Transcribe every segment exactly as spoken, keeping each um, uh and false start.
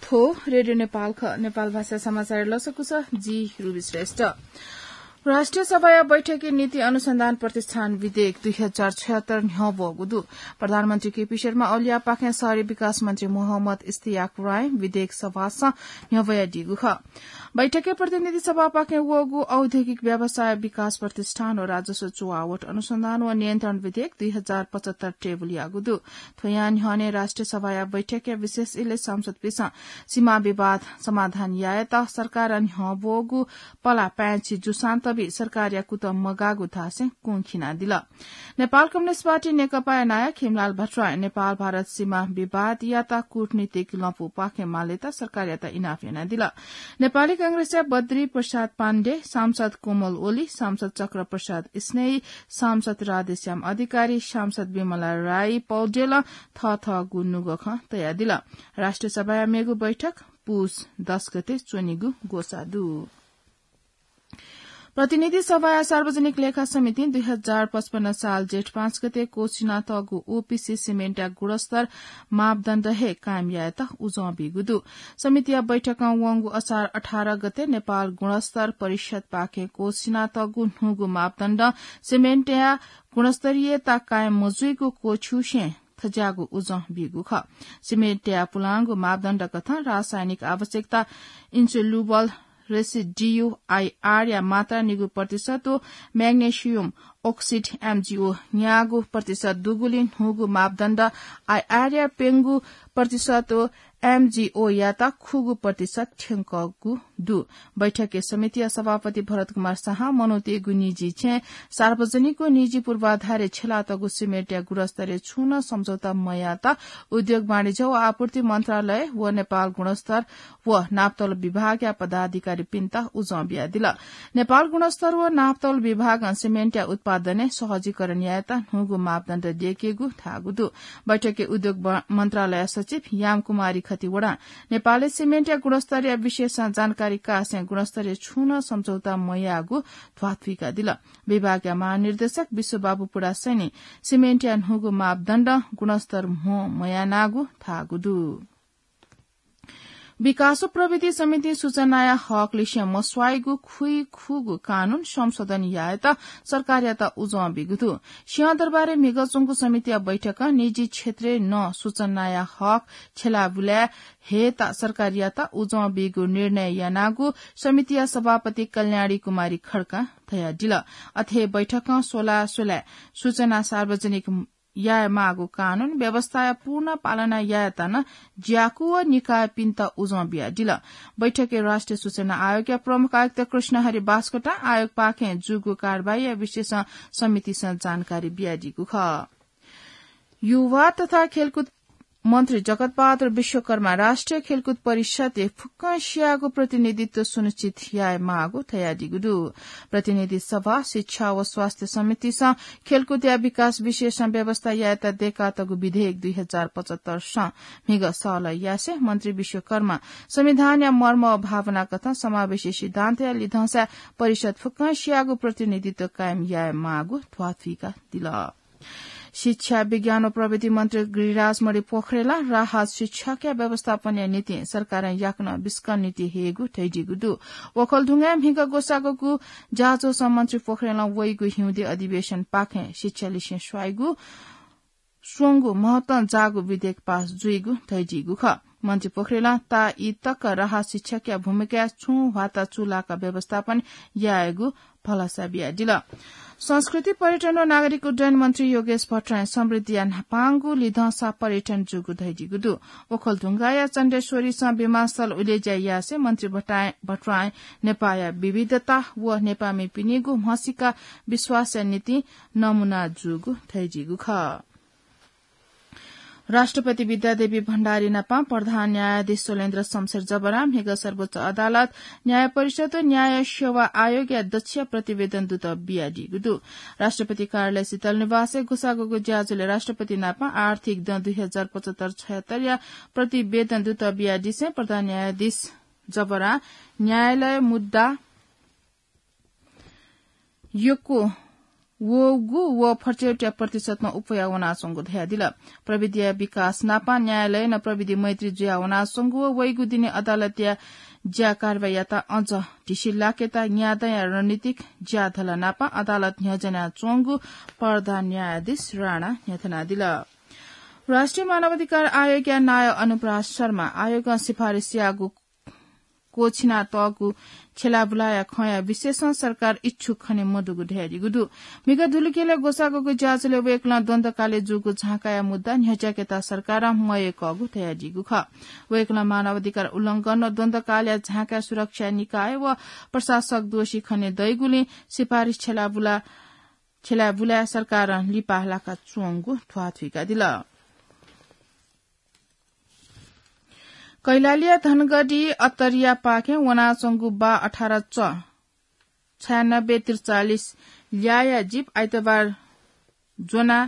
थ्व रेडियो नेपाल खः। नेपाल भाषा समाचार लसकुस, जि रुबी श्रेष्ठ। राष्ट्रिय सभाया बैठकय् नीति अनुसन्धान प्रतिष्ठान विधेयक दुई हजार छयत्तर न्ह्यः वःगु दु। प्रधानमन्त्री केपी शर्मा ओलीया पाखें शहरी विकास मन्त्री मोहम्मद इस्तियाक राय विधेयक सभासं न्ह्यः वयादीगु खः। बैठकय् प्रतिनिधि सभापाखें वःगु औद्योगिक व्यवसाय विकास प्रतिष्ठान व राजस्व चुवावट अनुसन्धान व नियन्त्रण विधेयक दुई हजार पचहत्तर टेबुल याःगु दु। थ्वयां न्ह्यःने राष्ट्रिय सभाया बैठकया विशेष इलय् सांसदपिसं सीमा विवाद समाधान यायेत सरकारं न्ह्यः वःगु पला पाय्‌छि जूसां तबि सरकारया कुतः मगाःगु धासें कुंखिनादिल। नेपाल कम्युनिस्ट पार्टी नेकपाया नायः खेमलाल भट्टराईं नेपाल भारत सीमा विवादयात कूटनीतिक लँपुपाखें मालेत सरकारयात इनाप यानादिल। नेपाली कांग्रेसया बद्री प्रसाद पाण्डे, सांसद कोमल ओली, सांसद चक्र प्रसाद स्नेही, सांसद राधेश्याम अधिकारी, सांसद विमला राई पौडेलं थःथःगु नुगः खँ तयादिल। राष्ट्रिय सभाया मेगु बैठक पुस दस गते च्वनेगु ग्वसाः दु। प्रतिनिधि सभाया सार्वजनिक लेखा समितिं दुई हजार पचपन्न साल जेठ पाँच गते क्वसिनातःगु ओपीसी सिमेन्टया गुणस्तर मापदण्ड हे कायम यायेत उजं बीगु दु। समितिया बैठकं वंगु असार अठार गते नेपाल गुणस्तर परिषदपाखें क्वसिनातःगु न्हूगु मापदण्ड सिमेन्टया गुणस्तरीयता कायम मजुइगु क्वछ्युसें थज्याःगु उजं बीगु खः। सिमेन्टया पुलांगु मापदण्ड कथं रासायनिक आवश्यकता, insoluble residue आईआर या मात्रा निगू प्रतिशत व magnesium oxide एमजीओ न्यागू प्रतिशत दुगुलिं न्हूगु मापदण्ड आईआर या प्यंगू प्रतिशत व एमजीओ यात खुगू प्रतिशत थ्यंकःगु दु। बैठकय् समितिया सभापति भरत कुमार शाहं मनूतय्‌गु निजी छेँय् सार्वजनिक व निजी पूर्वाधारय् छ्यलातःगु सिमेन्टया गुणस्तरय् छुं नं सम्झौता मयात उद्योग वाणिज्य व आपूर्ति मन्त्रालय व नेपाल गुणस्तर व नापतौल विभागया पदाधिकारीपिन्त उजं बियादिल। नेपाल गुणस्तर व नापतौल विभागं सिमेन्टया उत्पादनय् सहजीकरण यायेत न्हूगु मापदण्ड दयेकेगु धाःगु दु। बैठकय् उद्योग ब-, मन्त्रालय सचिव यामकुमारी खतिवडां नेपालय् सिमेन्टया गुणस्तरया विषयसं जानकारी काःसें गुणस्तरय् छुं नं सम्झौता मयाःगु ध्वाथुइकादिल। विभागया महानिर्देशक विश्वबाबु पुडासैनी सिमेन्टया न्हूगु मापदण्ड गुणस्तर म्हो मयानागु धाःगु दु। विकास व प्रविधि समितिं सूचनाया हक लिसें मस्वाइगु खुइखुगू कानून संशोधन यायेत सरकारयात उजं बीगु दु। सिंहदरबारय् म्हिगः च्वंगु समितिया बैठकं निजी क्षेत्रय् नं सूचनाया हक छ्यलाबुलाय् हयेत सरकारयात उजं बीगु निर्णय यानागु समितिया सभापति कल्याणी कुमारी खड्कां धयादिल। अथे हे बैठकं स्वला स्वलाय् सूचना सार्वजनिक यायेमाःगु कानून व्यवस्थाया पूर्ण पालना यायेत नं ज्याकू व निकायपिन्त उजं बियादिल। बैठकय् राष्ट्रिय सूचना आयोगया प्रमुख आयुक्त कृष्णहरि बास्कोटां आयोगपाखें जूगु कारवाहीया विषयसं समितिसं जानकारी बियादीगु खः। युवा तथा खेलकुद मन्त्री जगतबहादुर विश्वकर्मा राष्ट्रिय खेलकुद परिषदय् फुक्कं सियागु प्रतिनिधित्व सुनिश्चित यायेमाःगु धयादीगु दु। प्रतिनिधि सभा, शिक्षा व स्वास्थ्य समितिसं खेलकुदया विकास विषयसं व्यवस्था यायेत दयेकातःगु विधेयक दुई हजार पचहत्तर सं म्हिगः सहलह यासें मन्त्री विश्वकर्मा संविधानया मर्म व भावना कथं समावेशी सिद्धान्तया लिधंसाय् परिषद फुक्कं सियागु प्रतिनिधित्व कायम यायेमाःगु ध्वाथुइकादिल। शिक्षा, विज्ञान व प्रविधि मन्त्री गिरिराज मणि पोखरेलं राहत शिक्षकया व्यवस्थापनया निंतिं सरकारं याकनं बिस्कं नीति हयेगु धयादीगु दु। ओखलढुङ्गाय् म्हिगः ग्वसाःगु ज्याझ्वलय् मन्त्री पोखरेलं वइगु हिउँदे अधिवेशनपाखें शिक्षा लिसें स्वाइगु स्वंगु महत्वं जाःगु विधेयक पास जुइगु धयादीगु खः। मन्त्री पोखरेलं ताःई तक राहत शिक्षकया भूमिकाय् छुं ह्वाता चूलाक व्यवस्थापन यायेगु भलसा बियादिल। संस्कृति, पर्यटन व नागरिक उड्डयन मन्त्री योगेश भट्टराईं समृद्धिया न्हापांगु लिधंसा पर्यटन जूगु धयादीगु दु। ओखलढुङ्गाया चण्डेश्वरीसं विमानस्थल उलेज्या यासें मन्त्री भट्टराईं, भट्टराईं नेपाःया विविधता व नेपाःमिपिनिगु म्हसीका विश्वासया निंतिं नमूना जूगु धयादीगु खः। राष्ट्रपति विद्यादेवी भण्डारी नाप प्रधान न्यायाधीश शैलेन्द्र शमशेर जबरां म्हिगः सर्वोच्च अदालत, न्याय परिषद व न्याय सेवा आयोगया दक्ष प्रतिवेदन दूत बियादीगु दु। राष्ट्रपति कार्यालय शीतल निवासय् ग्वसाःगु ज्याझ्वलय् राष्ट्रपति नाप आर्थिक दँ दुई हजार पचहत्तर छयहत्तरया प्रतिवेदन दूत बियादिसें प्रधान न्यायाधीश जबरां न्यायालय मुद्दा यक्व वःगु व फर्चय्‌या प्रतिशतमा उप्वया वनाच्वंगु धयादिल। प्रविधिया विकास नापं न्यायालयनं प्रविधि मैत्री जुया वनाच्वंगु व वइगु दिने अदालतया ज्या कारवाहीयात अझ ढिसि लाकेत न्यादँया रणनीतिक ज्याधल नापं अदालत न्ह्यज्यानाच्वंगु प्रधान न्यायाधीश राणा न्ह्यथनादिल। राष्ट्रिय मानवाधिकार आयोगया नायः अनुपराज शर्मा आयोगं सिफारिस याःगु क्वछिनातःगु छ्यलाबुलाया खँया विषयय् सरकार इच्छुक खने मदुगु धयादीगु दु। म्हिगः धुलिखेलय् ग्वसाःग्वःगु ज्याझ्वलय् वय्‌कलं द्वन्द्वकालय् जूगु झाँकाया मुद्दा न्ह्यज्याकेत सरकारं मयय्‌कःगु धयादीगु खः। वय्‌कलं मानवाधिकार उल्लंघन व द्वन्द्वकालया झाँकाया सुरक्षा निकाय व प्रशासक दोषी खने दइगुलिं सिफारिस छ्यलाबुला, छ्यलाबुलाय् सरकारं लिपा लाकाच्वंगु ध्वाथुइकादिल। कैलालीया धनगढी अत्तरियापाखें वनाच्वंगु बा अठार च छयानब्बे त्रिचालिस ल्याःया जीप आइतबार ज्वनाः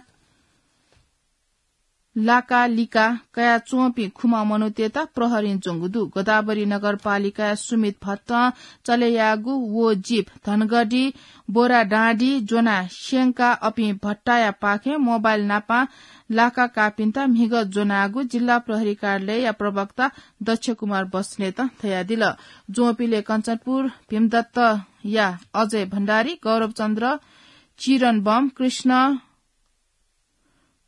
लाकालिका कयाच्वंपिं खुम्ह मनूतय्‌त प्रहरीं ज्वंगु दु। गोदावरी नगरपालिकाया सुमित भट्टं चले याःगु व जीप धनगढी बोराडाँडी ज्वनाः स्यंकाः अपिं भट्टायापाखें मोबाइल नापं लाका काःपिन्त म्हिगः ज्वनागु जिल्ला प्रहरी कार्यालयया प्रवक्ता दक्ष कुमार बस्नेतं धयादिल। ज्वंपिंलय् कञ्चनपुर भीमदत्तया अजय भण्डारी, गौरवचन्द्र, चिरन बम, कृष्ण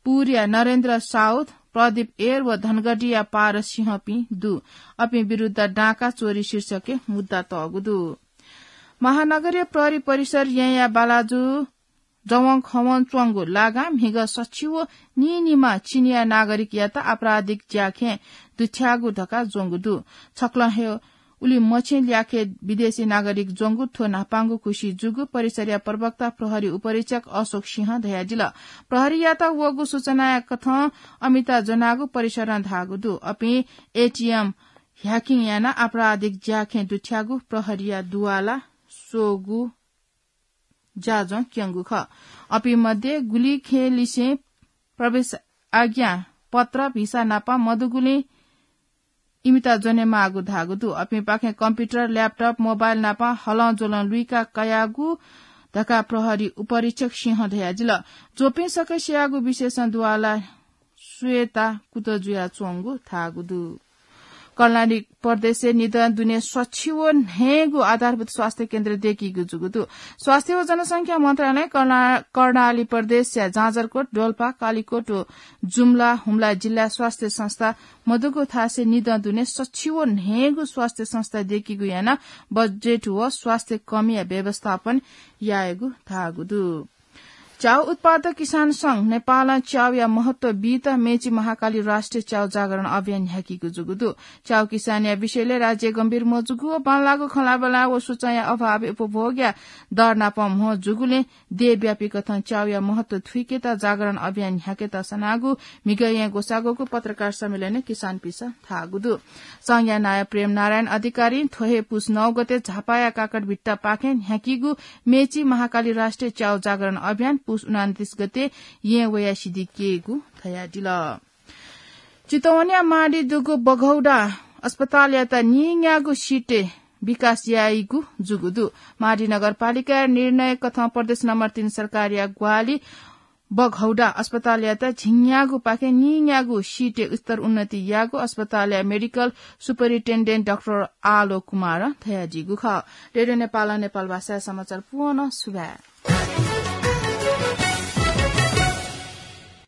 पुरया नरेन्द्र साउद, प्रदीप एर व धनगढीया पारस सिंहपिं दु। अपिं विरुद्ध डाँका चोरी शीर्षकय् मुद्दा तःगु दु। महानगरीय प्रहरी परिसर येँया बालाजु जवंखवं च्वंगु लागां म्हिगः सछि व नीनिम्ह चिनियाँ नागरिकयात आपराधिक ज्याखँय् दुथ्याःगु धकाः ज्वंगु दु। छकलं हे उलिमछि ल्याखय् विदेशी नागरिक ज्वंगु थ्व न्हापांगु खुसि जूगु परिसरया प्रवक्ता प्रहरी उपरीक्षक अशोक सिंहं धयादिल। प्रहरीयात वःगु सूचनाया कथं अमित ज्वनागु परिसरं धाःगु दु। अपिं एटीएम ह्याकिङ यानाः आपराधिक ज्याखँय् दुथ्याःगु प्रहरीया दुवाला स्वःगु ज्याझ्वः क्यंगु खः। अपिं मध्ये गुलिखेलिसें प्रवेश आज्ञा पत्र भिसा नापं मदुगुलिं इमित ज्वनेमाःगु धाःगु दु। अपिंपाखें कम्प्युटर, ल्यापटप, मोबाइल नापं हलंज्वलं लुइका कयागु धकाः प्रहरी उपरीक्षक सिंहं धयादिल। ज्वपिं सकसियागु विशेषं दुवाला स्वयेत कुतः जुयाच्वंगु धाःगु दु। कर्णाली प्रदेशय् निदँ दुने सछि व न्हय्‌गू आधारभूत स्वास्थ्य केन्द्र दय्‌कीगु जूगु दु। स्वास्थ्य व जनसंख्या मन्त्रालयं कर्णा-, कर्णाली प्रदेशया जाजरकोट, डोल्पा, कालिकोट व जुम्ला, हुम्ला जिल्लाय् स्वास्थ्य संस्था मदुगु थासय् निदँ दुने सछि व न्हय्‌गू स्वास्थ्य संस्था दय्‌कीगु यानाः बजेट व स्वास्थ्य कमीया व्यवस्थापन यायेगु धाःगु दु। च्याउ उत्पादक किसान संघ नेपालं च्याउया महत्व बीत मेची महाकाली राष्ट्रिय च्याउ जागरण अभियान न्ह्याकीगु जूगु दु। च्याउ किसानया विषयलय् राज्य गम्भीर मजूगु व बांलाःगु खँल्हाबल्हा व सूचनाया अभावय् उपभोगया दर नाप म्हो जूगुलिं देय्‌व्यापी कथं च्याउया महत्व थुइकेत जागरण अभियान न्ह्याकेत सनागु म्हिगः येँ ग्वसाःग्वःगु पत्रकार सम्मेलनय् किसानपिसं धाःगु दु। संघया नायः प्रेम नारायण अधिकारीं थ्व हे पुस नौ गते झापाया काकड भिट्टापाखें न्ह्याकीगु मेची महाकाली राष्ट्रिय च्याउ जागरण अभियान पुस उनान्तिस गते येँ वयाः सिद्धिकेगु धयादिल। चितवनया माडी दुगु बघौडा अस्पतालयात नीन्यागू सिटय् विकास याइगु जूगु दु। माडी नगरपालिकाया निर्णय कथं प्रदेश नम्बर तीन सरकारया ग्वाहालि बघौडा अस्पतालयात झिंन्यागूपाखें नीन्यागू सिटय् स्तर उन्नति याःगु अस्पतालया मेडिकल सुपरिन्टेन्डेन्ट डाक्टर आलो कुमारं धयादीगु खः। रेडियो नेपालं नेपाल भाषाया समाचार पूवंगु सुभाय्।